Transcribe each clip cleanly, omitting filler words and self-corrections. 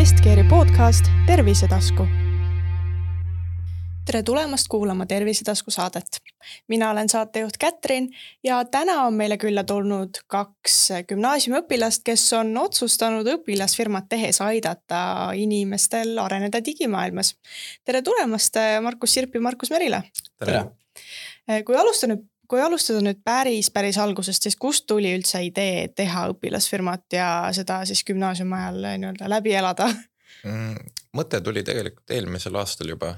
Estkeeri podcast Tervisetasku. Tere tulemast kuulama Tervisetasku saadet. Mina olen saatejuht Kätrin ja täna on meile külla tulnud 2 gümnaasiumiõpilast, kes on otsustanud õpilasfirmat tehes aidata inimestel areneda digimaailmas. Tere tulemast, Markus Sirp ja Markus Merile. Tere. Kui alustada nüüd päris algusest, siis kust tuli üldse idee teha õpilasfirmat ja seda siis gümnaasiumi ajal nii-öelda läbi elada? Mõte tuli tegelikult eelmisel aastal juba.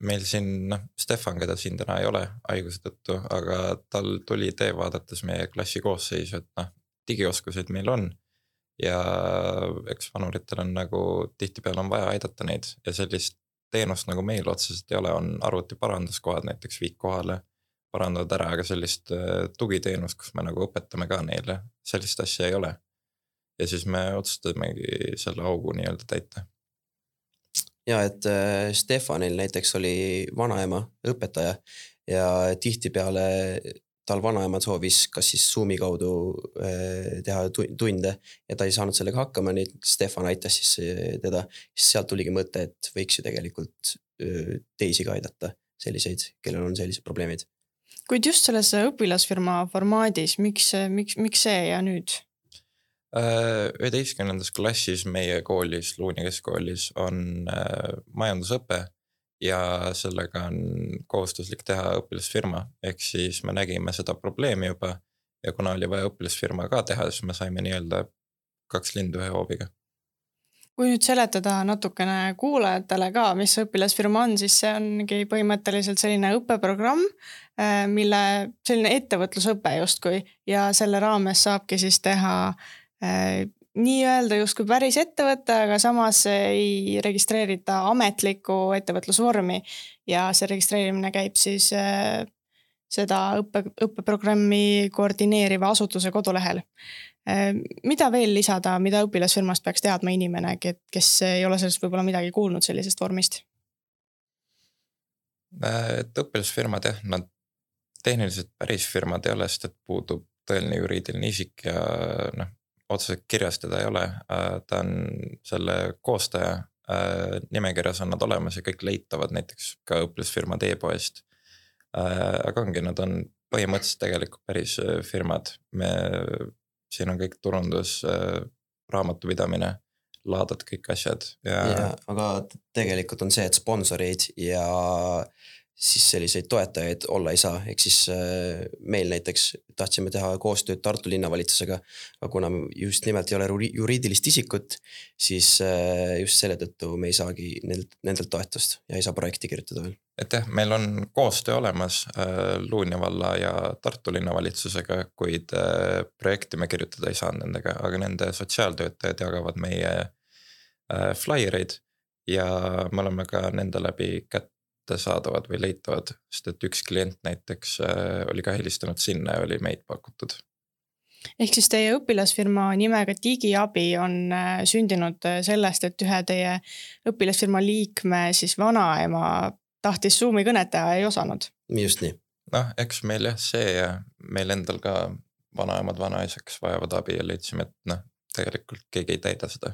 Meil siin Stefan, keda siin täna ei ole haiguse tõttu, aga tal tuli idee vaadates meie klassi koosseisu, et digioskused meil on ja eks vanuritel on nagu tihtipeale on vaja aidata neid ja sellist teenust nagu meil otseselt ei ole, on arvuti paranduskohad näiteks viik kohale, parandavad ära, aga sellist tugiteenust, kus me nagu õpetame ka neile, sellist asja ei ole. Ja siis me otsustamegi selle augu nii-öelda täita. Ja, et Stefanil näiteks oli vanaema õpetaja ja tihtipeale tal vanaema soovis kas siis Zoomi kaudu teha tunde ja ta ei saanud sellega hakkama, nii Stefan aitas siis teda. Siis sealt tuligi mõte, et võiks ju tegelikult teisi ka aidata selliseid, kellel on sellised probleemid. Kuid just selles õpilasfirma formaadis, miks see ja nüüd? 11. klassis meie koolis, Luunia keskkoolis on majandusõpe ja sellega on kohustuslik teha õpilasfirma, ehk siis me nägime seda probleemi juba ja kuna oli vaja õpilasfirma ka teha, siis me saime nii-öelda 2 lindu 1 hoobiga. Kui nüüd seletada natukene kuulajatele ka, mis õpilasfirma on, siis see ongi põhimõtteliselt selline õppeprogramm, mille selline ettevõtlusõpe justkui ja selle raames saabki siis teha nii öelda justkui päris ettevõtte, aga samas ei registreerita ametlikku ettevõtlusvormi ja see registreerimine käib siis seda õppeprogrammi koordineeriva asutuse kodulehel. Mida veel lisada, mida õpilasfirmast peaks teadma inimene, kes ei ole sellest võib-olla midagi kuulnud sellisest vormist? Et õpilasfirmad nad tehniliselt päris firmad ei ole, sest et puudub tõeline juriidiline isik ja otseselt kirjas teda ei ole, ta on selle koostaja, nimekirjas on nad olemas ja kõik leitavad näiteks ka õpilasfirmad e-poest. Aga ongi, nad on põhimõtteliselt tegelikult päris firmad. Siin on kõik turundus, raamatupidamine, laadad kõik asjad. Ja, aga tegelikult on see, et sponsoreid ja siis selliseid toetajaid olla ei saa. Ehk siis meil näiteks tahtsime teha koostööd Tartu linnavalitsusega, aga kuna just nimelt ei ole juriidilist isikut, siis just selle tõttu me ei saagi nendelt toetust ja ei saa projekti kirjutada veel. Et jah, meil on koostöö olemas Luunia valla ja Tartu linnavalitsusega, kuid projekti me kirjutada ei saa nendega, aga nende sotsiaaltöötajad jagavad meie flyereid ja me oleme ka nende läbi saadavad või leitavad, sest et üks klient näiteks oli ka helistanud sinna ja oli meid pakutud. Ehk siis teie õpilasfirma nimega Digiabi on sündinud sellest, et ühe teie õpilasfirma liikme siis vanaema tahtis Zoomi kõnet teha ei osanud? Just nii. Eks meil jah see ja meil endal ka vanaemad vanaisaks vajavad abi ja leidsime, et tegelikult keegi ei täida seda.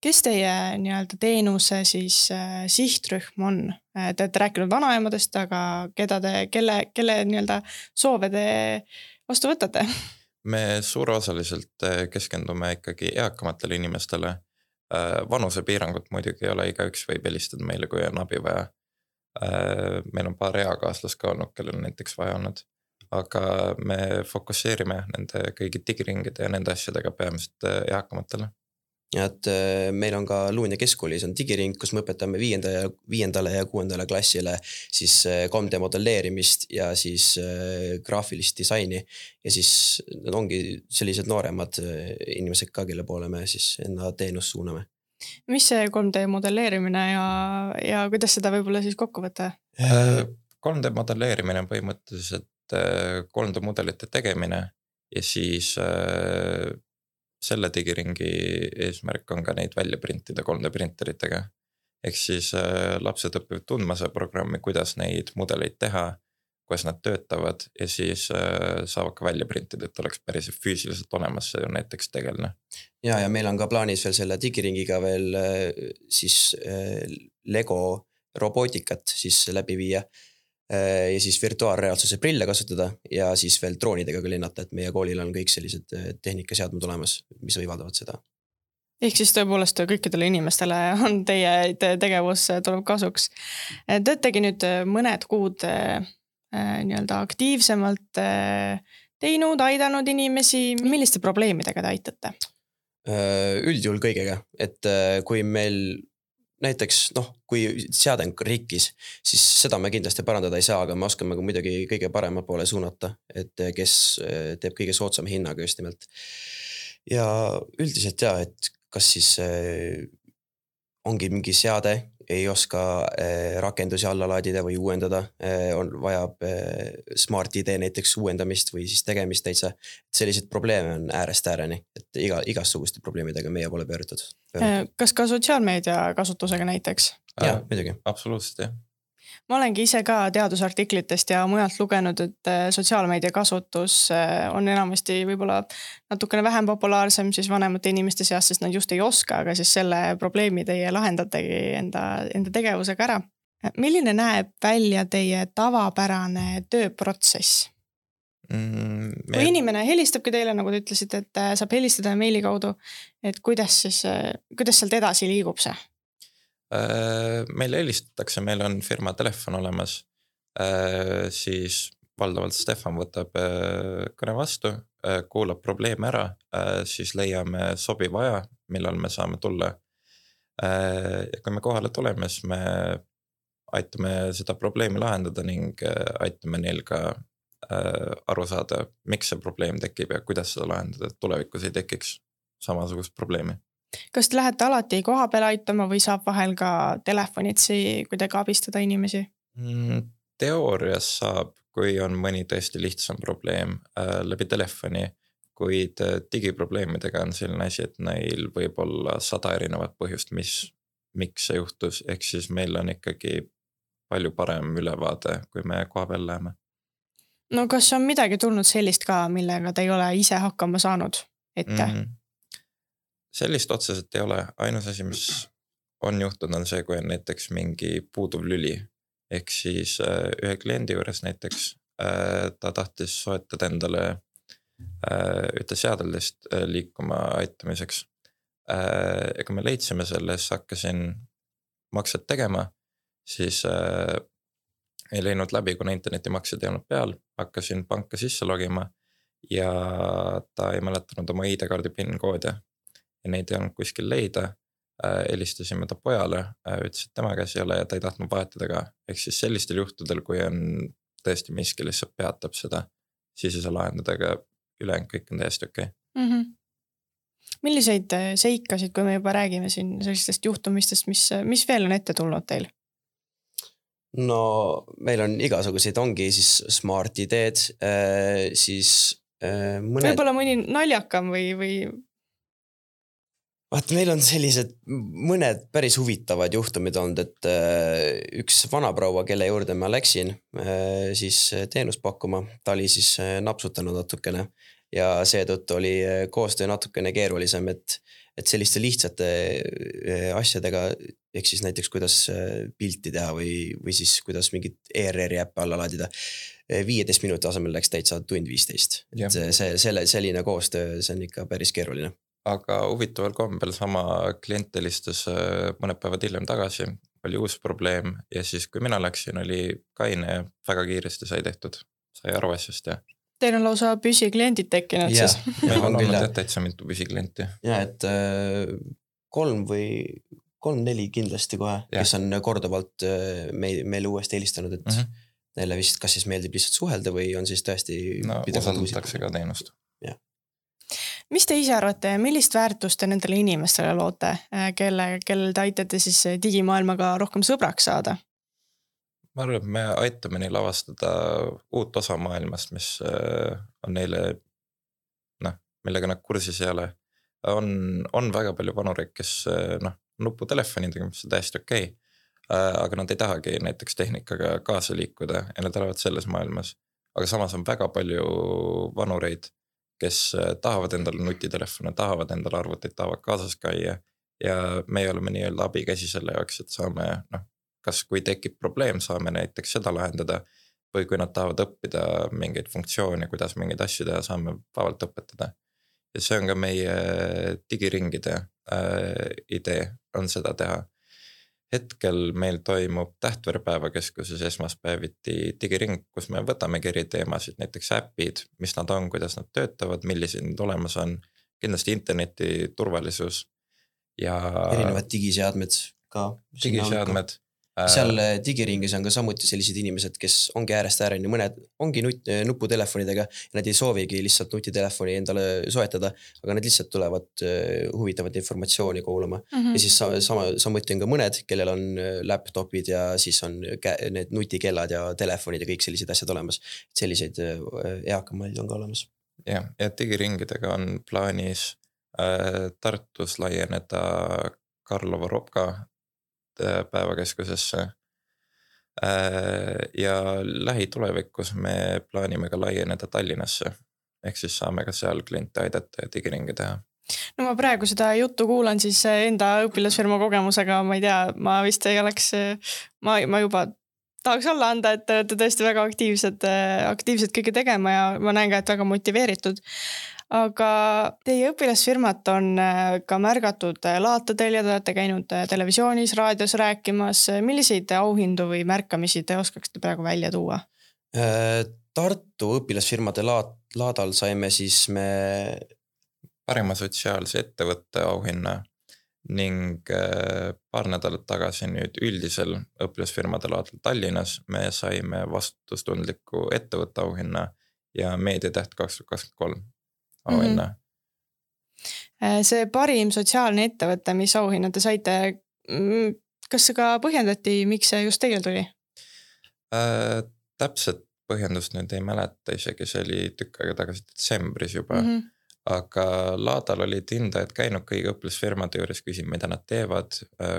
Kes teie nii-öelda teenuse siis sihtrühm on? Te olete rääkinud vanaemadest, aga kelle nii-öelda soove te vastu võtate? Me suurosaliselt keskendume ikkagi eakamatele inimestele. Vanusepiirangut muidugi ei ole, igaüks võib helistada meile, kui on abi vaja. Meil on paar eakaaslast ka olnud, kellel näiteks vaja olnud. Aga me fokusseerime nende kõigi digiringide ja nende asjadega peamiselt eakamatele. Ja et meil on ka Luunia keskkoolis on digiring, kus me õpetame 5. ja 6. klassile siis 3D modelleerimist ja siis graafilist disaini ja siis need ongi sellised nooremad inimesed ka, kelle poole me siis enda teenust suuname. Mis see 3D modelleerimine ja kuidas seda võib-olla siis kokku võtta? 3D modelleerimine on põhimõtteliselt 3D mudelite tegemine ja siis selle digiringi eesmärk on ka neid välja printida 3D printeritega. Ehk siis lapsed õpivad tundma see programmi, kuidas neid mudeleid teha kuidas nad töötavad ja siis saavad ka välja printida, et oleks päris füüsiliselt olemas see näiteks tegelane. Ja meil on ka plaanis veel selle digiringiga veel siis Lego robootikat siis läbi viia ja siis virtuaalreaalsuse prille kasutada ja siis veel droonidega ka lennata, et meie koolil on kõik sellised tehnikaseadmed olemas, mis võimaldavad seda. Ehk siis tõepoolest kõikidele inimestele on teie tegevus tuleb kasuks. Töötegi nüüd mõned kuud nii-öelda aktiivsemalt teinud, aidanud inimesi. Milliste probleemidega te aitate? Üldjuhul kõigega, et kui meil näiteks, kui seade on rikkis, siis seda me kindlasti parandada ei saa, aga me oskame muidugi kõige parema poole suunata, et kes teeb kõige soodsama hinnaga just nimelt. Ja üldiselt et kas siis ongi mingi seade, ei oska rakendusi alla laadida või uuendada, vajab Smart ID näiteks uuendamist või siis tegemist täitsa. Sellised probleeme on äärest ääreni, et igasuguste probleemidega meie pole pöördutud. Kas ka sotsiaalmeedia kasutusega näiteks? Jah, muidugi. Absoluutselt, jah. Ma olengi ise ka teadusartiklitest ja mujalt lugenud, et sotsiaalmeedia kasutus on enamasti võib-olla natukene vähem populaarsem siis vanemate inimeste seas, sest nad just ei oska, aga siis selle probleemi teie lahendategi enda tegevusega ära. Milline näeb välja teie tavapärane tööprotsess? Kui inimene helistabki teile, nagu te ütlesite, et saab helistada meili kaudu, et kuidas sealt edasi liigub see? Meil helistatakse, meil on firma telefon olemas, siis valdavalt Stefan võtab kõne vastu, kuulab probleeme ära, siis leiame sobiva aja, millal me saame tulla. Ja kui me kohale tuleme, siis me aitame seda probleemi lahendada ning aitame neil ka aru saada, miks see probleem tekib ja kuidas seda lahendada, et tulevikus ei tekiks samasugust probleemi. Kas te lähete alati koha peale aitama või saab vahel ka telefonitsi kuidagi abistada inimesi? Teoorias saab, kui on mõni tõesti lihtsam probleem läbi telefoni, kuid digiprobleemidega on selline asi, et neil võib olla 100 erinevat põhjust, miks see juhtus, ehk siis meil on ikkagi palju parem ülevaade, kui me koha peal läheme. No kas on midagi tulnud sellist ka, millega te ei ole ise hakkama saanud ette? Sellist otseselt ei ole. Ainus asi, mis on juhtunud, on see, kui on näiteks mingi puuduv lüli. Ehk siis ühe kliendi juures näiteks ta tahtis soetada endale ühte seadeldist liikuma aitamiseks. Ja kui me leidsime selle, siis hakkasin makset tegema, siis ei leidnud läbi, kuna internetimaksed ei olnud peal, hakkasin panka sisse logima ja ta ei mäletanud oma ID-kaardi PIN-koode. Ja neid ei olnud kuskil leida, helistasime ta pojale, ütles, et tema käes ei ole ja ta ei tahtnud vahetada ka. Ehk siis sellistel juhtudel, kui on tõesti miski lihtsalt peatab seda, siis ei saa lahendada, aga ülejäänud kõik on täiesti okei. Milliseid seikasid, kui me juba räägime siin sellistest juhtumistest, mis veel on ette tulnud teil? No meil on igasuguseid, ongi siis Smart ID-d, siis mõned... Võib-olla mõni naljakam või... Vaat meil on sellised mõned päris huvitavad juhtumid olnud, et üks vanaproua, kelle juurde ma läksin siis teenust pakkuma, ta oli siis napsutanud natukene ja seetõttu oli koostöö natukene keerulisem, et selliste lihtsate asjadega, ehk siis näiteks kuidas pilti teha või siis kuidas mingit ERR-i äppe alla laadida, 15 minuti asemel läks täitsa tund 15. Selline koostöö, see on ikka päris keeruline. Aga huvitaval kombel sama klient helistas mõned päevad hiljem tagasi, oli uus probleem ja siis kui mina läksin, oli kaine ja väga kiiresti sai tehtud, sai aru asjast ja... Teil on lausa püsikliendid tekkinud siis? Meil on olnud täitsa mitu püsiklienti. Ja, et 3-4 kindlasti kohe, kes on korduvalt meil uuesti helistanud, et neile vist kas siis meeldib lihtsalt suhelda või on siis tõesti... No, usaldatakse ka teenust. Mis te ise arvate, millist väärtust te nendele inimestele loote, kellel te aitate siis digimaailmaga rohkem sõbraks saada? Ma arvan, et me aitame neil avastada uut osa maailmast, mis on neile, millega nad kursis ei ole. On väga palju vanureid, kes nuputelefonidega, mis on täiesti okei. aga nad ei tahagi näiteks tehnikaga kaasa liikuda ja nad elavad selles maailmas. Aga samas on väga palju vanureid, kes tahavad endale nutitelefone, tahavad endale arvuteid, tahavad kaasas käia ja me oleme nii-öelda abikäsi selle jaoks, et saame, kas kui tekib probleem, saame näiteks seda lahendada või kui nad tahavad õppida mingeid funktsioone, kuidas mingeid asju teha, saame vabalt õpetada. Ja see on ka meie digiringide idee on seda teha. Hetkel meil toimub Tähtvere päevakeskuses esmaspäeviti digiring, kus me võtamegi eri teemasid, näiteks äpid, mis nad on, kuidas nad töötavad, millised need olemas on, kindlasti interneti turvalisus ja erinevad digiseadmed ka. Digiseadmed. Seal digiringis on ka samuti sellised inimesed, kes ongi äärest ääreni, mõned ongi nuputelefonidega ja nad ei soovigi lihtsalt nutitelefoni endale soetada, aga nad lihtsalt tulevad huvitavat informatsiooni kuulama. Ja siis samuti on ka mõned, kellel on laptopid ja siis on need nutikellad ja telefonid ja kõik sellised asjad olemas. Selliseid eakamaid on ka olemas. Ja digiringidega on plaanis Tartus laieneda Karlova Ropka päevakeskusesse ja lähitulevikus me plaanime ka laieneda Tallinnasse ehk siis saame ka seal kliente aidata ja digiringi teha. No ma praegu seda juttu kuulan siis enda õpilasfirma kogemusega, ma ei tea, ma vist ei oleks, ma juba tahaks olla anda, et te olete tõesti väga aktiivselt kõike tegema ja ma näen ka, et väga motiveeritud. Aga teie õpilasfirmat on ka märgatud laatadel ja te olete käinud televisioonis, raadios rääkimas. Milliseid auhindu või märkamisi te oskaksite praegu välja tuua? Tartu õpilasfirmade laadal saime siis me parima sotsiaalse ettevõtte auhinna ning paar nädalat tagasi nüüd üldisel õpilasfirmade laadal Tallinnas me saime vastutustundliku ettevõtte auhinna ja meediatäht 2023 auhinna. See parim sotsiaalne ettevõte, mis auhinna te saite, kas see ka põhjendati, miks see just teil tuli? Täpselt põhjendust nüüd ei mäleta, isegi see oli tükk aega tagasi detsembris juba, aga laadal olid hindajad käinud kõigi õpilasfirmade juures, küsima, mida nad teevad,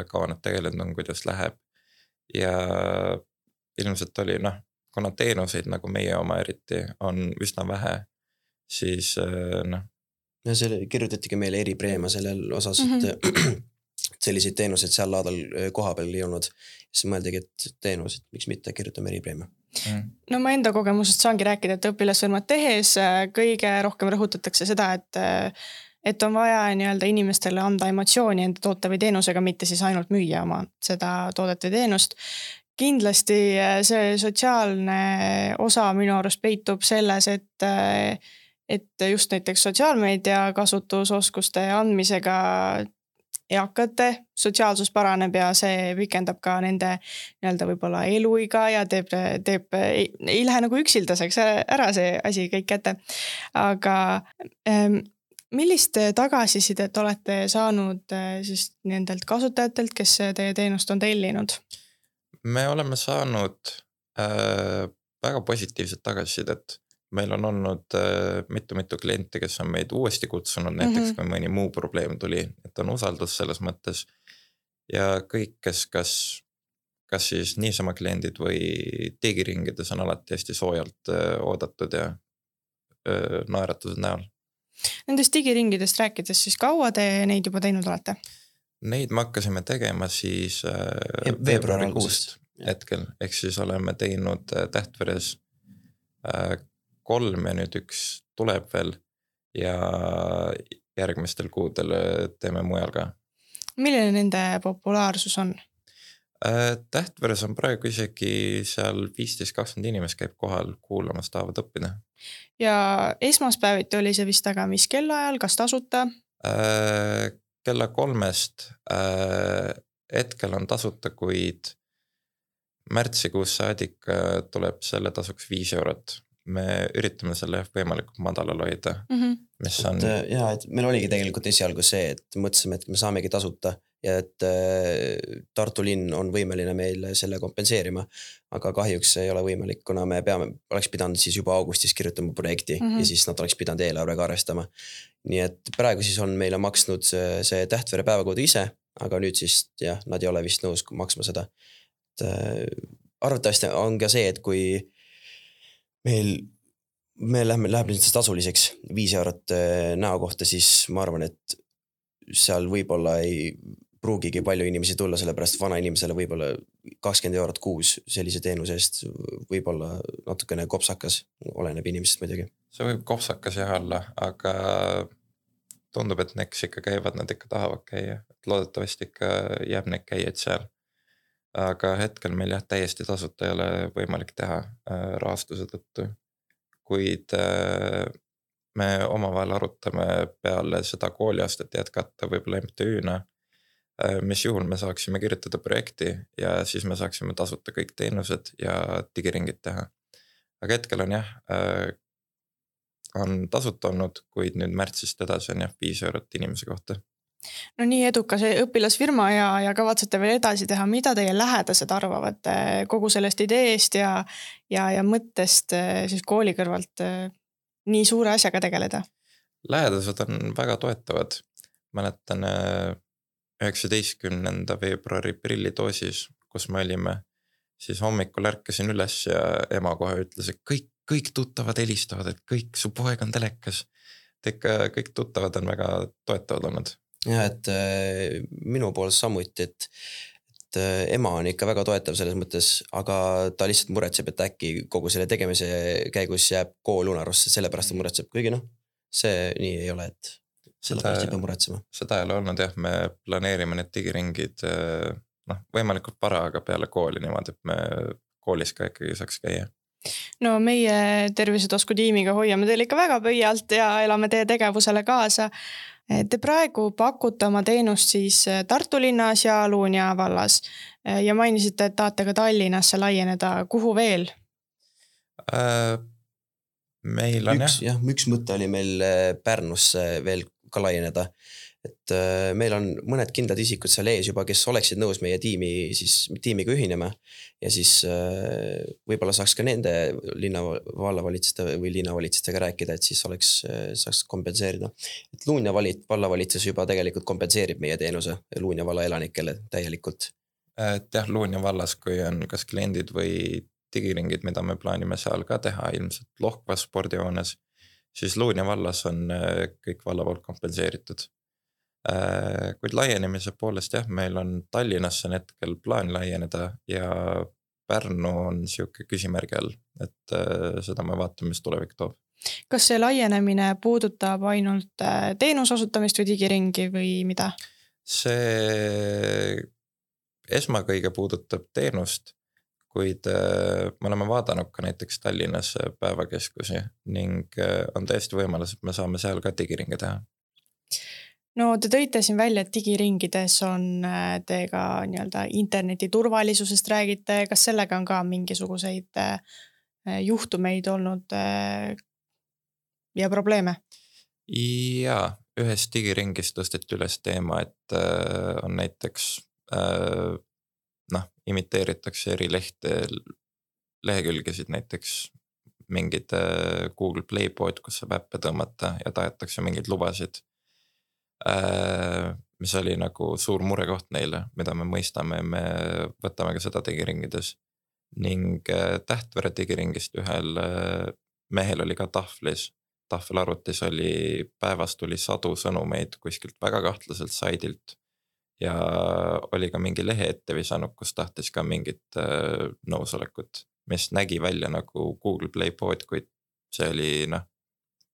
kaua nad tegelenud on, kuidas läheb ja ilmselt oli, kuna teenuseid nagu meie oma eriti on üsna vähe, siis Ja selle kirjutatigi meile eripreemia sellel osas, et selliseid teenuseid seal laadal koha peal ei olnud. Siis mõeldigi, et teenused, miks mitte kirjutame eripreemia. No ma enda kogemusest saangi rääkida, et õpilasfirmat tehes kõige rohkem rõhutatakse seda, et on vaja nii-öelda inimestele anda emotsiooni enda toote või teenusega, mitte siis ainult müüa oma seda toodet või teenust. Kindlasti see sotsiaalne osa minu arust peitub selles, et just näiteks sotsiaalmeedia kasutusoskuste andmisega eakate sotsiaalsus paraneb ja see pikendab ka nende nii-öelda võib-olla eluiga ja ei lähe nagu üksildaseks ära see asi kõik kätte. Aga millist tagasisidet olete saanud siis nendelt kasutajatelt, kes teie teenust on tellinud? Me oleme saanud väga positiivset tagasisidet. Meil on olnud mitu kliente, kes on meid uuesti kutsunud, näiteks kui mõni muu probleem tuli, et on usaldus selles mõttes ja kõik, kes kas siis niisama kliendid või digiringides on alati hästi soojalt oodatud ja naeratused näol. Nendest digiringidest rääkides, siis kaua te neid juba teinud olete? Neid me hakkasime tegema siis veebruarikuust hetkel, ehk siis oleme teinud Tähtveres 3 ja nüüd 1 tuleb veel ja järgmistel kuudel teeme mujal ka. Milline nende populaarsus on? Tähtveres on praegu isegi seal 15-20 inimest käib kohal kuulamas, tahavad õppida. Ja esmaspäeviti oli see vist aga mis kellaajal, kas tasuta? Kella 3-st hetkel on tasuta, kuid märtsikuus saadik tuleb selle tasuks 5 eurot. Me üritame selle võimalikult madalal hoida. Mis on... et meil oligi tegelikult esialgu see, et mõtlesime, et me saamegi tasuta ja et Tartu linn on võimeline meil selle kompenseerima, aga kahjuks ei ole võimalik, kuna me oleks pidanud siis juba augustis kirjutama projekti ja siis nad oleks pidanud eelarvega arvestama. Nii et praegu siis on meile maksnud see Tähtvere päevakood ise, aga nüüd siis jah, nad ei ole vist nõus maksma seda. Arvatavasti on ka see, et kui me läheb lihtsalt tasuliseks 5 eurot näo kohta, siis ma arvan, et seal võib-olla ei pruugigi palju inimesi tulla, sellepärast vana inimesele võib-olla 20 eurot kuus sellise teenuse eest võib-olla natukene kopsakas, oleneb inimesest muidugi. See võib kopsakas jah olla, aga tundub, et neks ikka käivad, nad ikka tahavad käia. Loodetavasti ikka jääb need käijad seal. Aga hetkel meil jah täiesti tasuta ei ole võimalik teha rahastuse tõttu. Kuid me omavahel arutame peale seda kooliastet jätkata võib-olla MTÜ-na, mis juhul me saaksime kirjutada projekti ja siis me saaksime tasuta kõik teenused ja digiringid teha. Aga hetkel on jah, on tasuta olnud, kuid nüüd märtsist edasi on jah 5 eurot inimese kohta. No nii edukas õpilasfirma ja kavatsete veel edasi teha, mida teie lähedased arvavad kogu sellest ideest ja mõttest siis kooli kõrvalt nii suure asjaga tegeleda? Lähedased on väga toetavad. Mäletan 19. veebruari prillidoosis, kus me olime, siis hommikul ärkasin üles ja ema kohe ütles, et kõik tuttavad helistavad, et kõik, su poeg on telekas. Et ikka kõik tuttavad on väga toetavad olnud. Ja, et minu pool samuti, et ema on ikka väga toetav selles mõttes, aga ta lihtsalt muretseb, et äkki kogu selle tegemise käigus jääb kool unarusse, sellepärast ta muretseb, kuigi see nii ei ole, et sellepärast ei pea muretsema. Seda ei ole olnud jah, me planeerime need digiringid võimalikult para, aga peale kooli niimoodi, et me koolis ka ikkagi saaks käia. No meie Tervisetasku tiimiga hoiame teil ikka väga pöialt ja elame teie tegevusele kaasa. Te praegu pakute oma teenust siis Tartu linnas ja Luunja vallas ja mainisite, et tahate ka Tallinnasse laieneda. Kuhu veel? Meil on üks mõte oli meil Pärnusse veel ka laieneda. Et meil on mõned kindlad isikud seal ees juba, kes oleksid nõus meie tiimiga ühinema ja siis võib-olla saaks ka nende vallavalitsuste või linnavalitsustega rääkida, et siis saaks kompenseerida. Et Luunja vallavalitsus juba tegelikult kompenseerib meie teenuse Luunja valla elanikele täielikult. Et jah, Luunja vallas, kui on kas kliendid või digiringid, mida me plaanime seal ka teha ilmselt Lohkvas spordihoones, siis Luunja vallas on kõik valla poolt kompenseeritud. Kuid laienemise poolest jah, meil on Tallinnasse hetkel plaan laieneda ja Pärnu on siuke küsimärgi all, et seda me vaatame, mis tulevik toob. Kas see laienemine puudutab ainult teenusosutamist või digiringi või mida? See esmakõige puudutab teenust, kuid me oleme vaadanud ka näiteks Tallinnas päevakeskusi ning on täiesti võimalus, et me saame seal ka digiringe teha. No te tõite siin välja, et digiringides on teiega nii-öelda interneti turvalisusest räägite. Kas sellega on ka mingisuguseid juhtumeid olnud ja probleeme? Ja ühes digiringis tõsteti üles teema, et on näiteks imiteeritakse eri lehekülgesid, näiteks mingid Google Play pood, kus saab äppe tõmmata ja tahetakse mingeid lubasid. Mis oli nagu suur murekoht neile, mida me mõistame, me võtame ka seda digiringides. Ning Tähtvere digiringist ühel mehel oli ka tahvelarvutis oli päevas tuli 100 sõnumeid kuskilt väga kahtlaselt saidilt ja oli ka mingi lehe ette visanud, kus tahtis ka mingit nõusolekut, mis nägi välja nagu Google Play pood, kuid see oli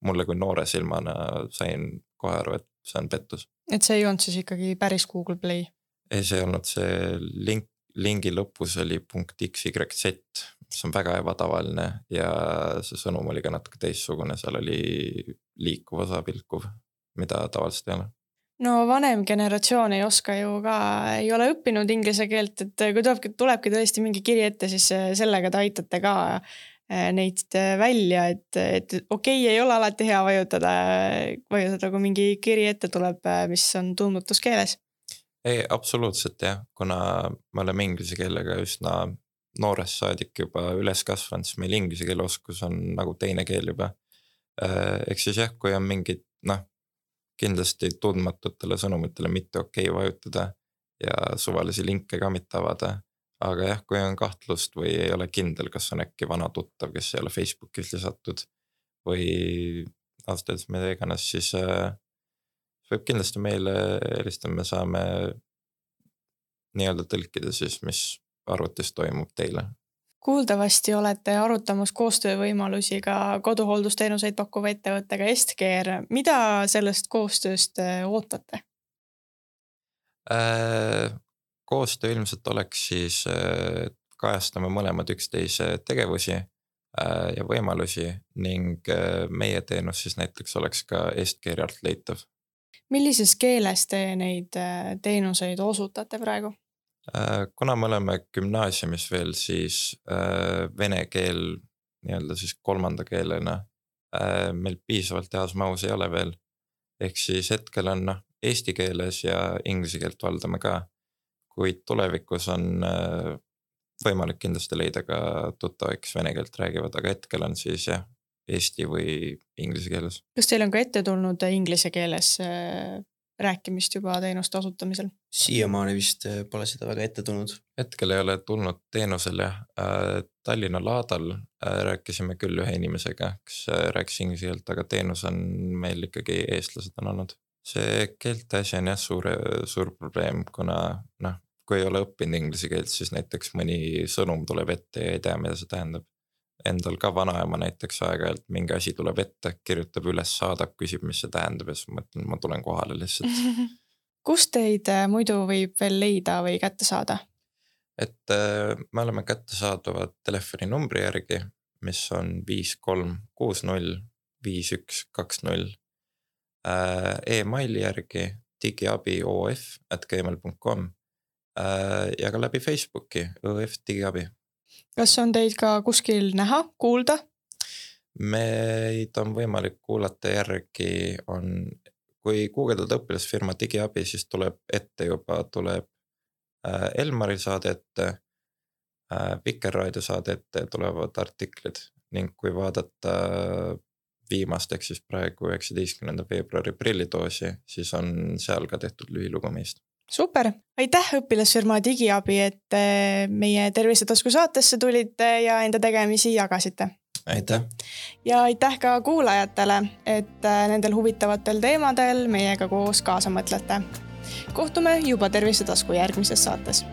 mulle kui noore silmana sain kohe aru, et see on pettus. Et see ei olnud siis ikkagi päris Google Play? Ei, see olnud see lingi lõpus oli .xyz, mis on väga ebatavaline ja see sõnum oli ka natuke teissugune, seal oli liikuv osa pilkuv, mida tavaliselt ei ole. No vanem generatsioon ei oska ju ka, ei ole õppinud inglise keelt, et kui tulebki tõesti mingi kiri ette, siis sellega te aitate ka neid välja, et okei, ei ole alati hea vajutada, kui mingi kiri ette tuleb, mis on tundmatuskeeles. Ei, absoluutselt jah, kuna me oleme inglise keelega üsna noorest saadik juba üles kasvanud, siis meil inglise keele oskus on nagu teine keel juba. Eks siis jah, kui on mingid kindlasti tundmatutele sõnumitele mitte okei vajutada, ja suvalisi linke ka mitte avada. Aga jah, kui on kahtlust või ei ole kindel, kas on äkki vana tuttav, kes ei ole Facebookis lisatud või aastades mida iganes, siis võib kindlasti meile helistada, me saame nii-öelda tõlkida siis, mis arvutis toimub teile. Kuuldavasti olete arutamas koostöövõimalusi ka koduhooldusteenuseid pakkuva ettevõttega Est-Care. Mida sellest koostööst ootate? Koostöö ilmselt oleks siis kajastama mõlemad üksteise tegevusi ja võimalusi ning meie teenus siis näiteks oleks ka Est-Care alt leitav. Millises keeles te neid teenuseid osutate praegu? Kuna me oleme gümnaasiumis veel, siis vene keel nii-öelda siis kolmanda keelena meil piisavalt heas mahus ei ole veel. Ehk siis hetkel on eesti keeles ja inglise keelt valdame ka, kuid tulevikus on võimalik kindlasti leida ka tuttavaid, kes vene keelt räägivad, aga hetkel on siis jah, eesti või inglise keeles. Kas teil on ka ette tulnud inglise keeles rääkimist juba teenuste osutamisel? Siiamaani vist pole seda väga ette tulnud. Hetkel ei ole tulnud teenusel jah. Tallinna Laadal rääkisime küll ühe inimesega, kes rääkis inglise keelt, aga teenus on meil ikkagi eestlased on olnud. See keelte asi on jah suur probleem, kuna kui ei ole õppinud inglise keelt, siis näiteks mõni sõnum tuleb ette ja ei tea, mida see tähendab. Endal ka vanaema näiteks aeg-ajalt mingi asi tuleb ette, kirjutab üles, saadab, küsib, mis see tähendab ja siis mõtlen, ma tulen kohale lihtsalt. Kust teid muidu võib veel leida või kätte saada? Et me oleme kättesaadavad telefoninumbri järgi, mis on 5360 5120. E-maili järgi digiabiof@gmail.com ja ka läbi Facebooki OF digiabi. Kas on teid ka kuskil näha, kuulda? Meid on võimalik kuulata järgi, kui guugeldada õpilasfirma digiabi, siis tuleb ette juba, tuleb Elmari saade ette, Vikerraadio saade ette, tulevad artiklid ning kui vaadata viimast, ehk siis praegu 19. veebruari prillidoosi, siis on seal ka tehtud lühilugu meist. Super, aitäh õpilasfirma digiabi, et meie Tervisetasku saatesse tulite ja enda tegemisi jagasite. Aitäh. Ja aitäh ka kuulajatele, et nendel huvitavatel teemadel meiega koos kaasa mõtlete. Kohtume juba Tervisetasku järgmises saates.